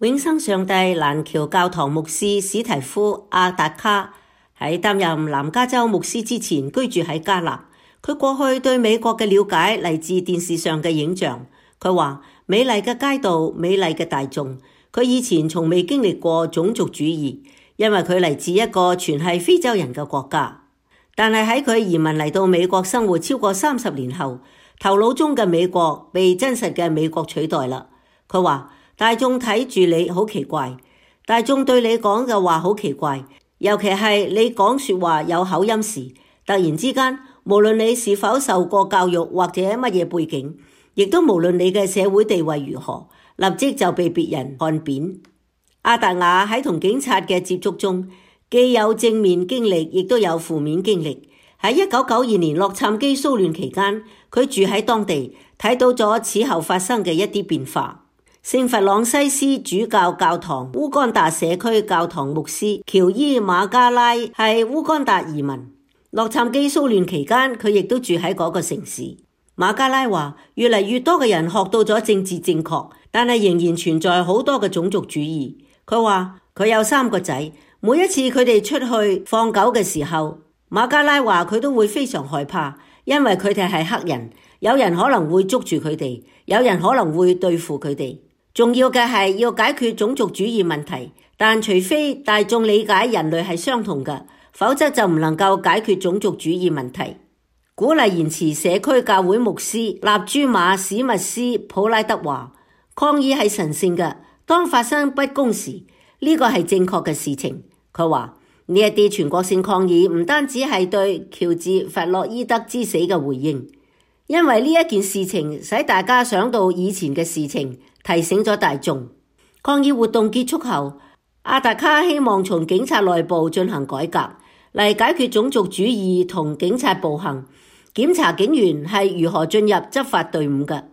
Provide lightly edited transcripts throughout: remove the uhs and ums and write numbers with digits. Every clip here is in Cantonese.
永生上帝蘭橋教堂牧師史提夫·阿達卡喺擔任南加州牧師之前居住喺加納。佢過去對美國嘅了解嚟自電視上嘅影像。佢話美麗嘅街道，美麗嘅大眾。佢以前從未經歷過種族主義，因為佢嚟自一個全係非洲人嘅國家。但係喺佢移民嚟到美國生活超過30年後，頭腦中嘅美國被真實嘅美國取代啦。佢話大眾睇住你好奇怪，大眾對你講嘅話好奇怪，尤其係你講說話有口音時，突然之間，無論你是否受過教育或者乜嘢背景，亦都無論你嘅社會地位如何，立即就被別人看扁。阿達雅喺同警察嘅接觸中，既有正面經歷，亦都有負面經歷。喺1992年洛杉磯騷亂期間，佢住喺當地，睇到咗此後發生嘅一啲變化。聖弗朗西斯主教教堂烏干達社區教堂牧師喬伊馬加拉係烏干達移民。洛杉磯騷亂期間，佢亦都住喺嗰個城市。馬加拉話，越嚟越多嘅人學到咗政治正確，但係仍然存在好多嘅種族主義。佢話佢有3個仔，每一次佢哋出去放狗嘅時候，馬加拉話佢都會非常害怕，因為佢哋係黑人，有人可能會捉住佢哋，有人可能會對付佢哋。重要嘅係要解決種族主義問題，但除非大眾理解人類係相同嘅，否則就唔能夠解決種族主義問題。鼓勵延遲社區教會牧師納朱馬史密斯普拉德話，抗議係神聖嘅，當發生不公時，呢個係正確嘅事情。佢話呢一啲全國性抗議唔單止係對喬治弗洛伊德之死嘅回應，因為呢一件事情使大家想到以前嘅事情，提醒咗大眾。抗議活動結束後，阿達卡希望從警察內部進行改革，嚟解決種族主義同警察暴行，檢查警員係如何進入執法隊伍嘅。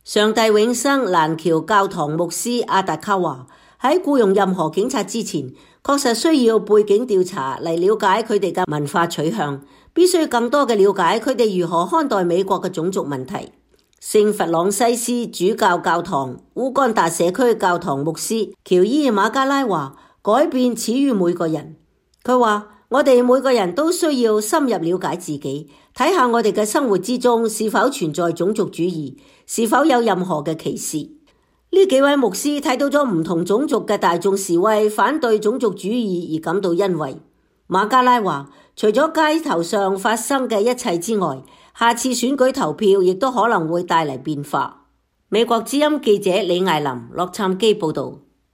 上帝永生蘭橋教堂牧師阿達卡話，喺僱用任何警察之前，確實需要背景調查嚟了解佢哋嘅文化取向，必須更多嘅了解佢哋如何看待美國嘅種族問題。聖弗朗西斯主教教堂烏干達社區教堂牧師喬伊馬加拉話，改變始於每個人。佢話我哋每個人都需要深入了解自己，睇下我哋嘅生活之中是否存在種族主義，是否有任何嘅歧視。呢幾位牧師睇到咗唔同種族嘅大眾示威，反對種族主義而感到欣慰。馬加拉話，除咗街頭上發生嘅一切之外，下次選舉投票亦都可能會帶嚟變化。美國之音記者李艾琳洛杉磯報道。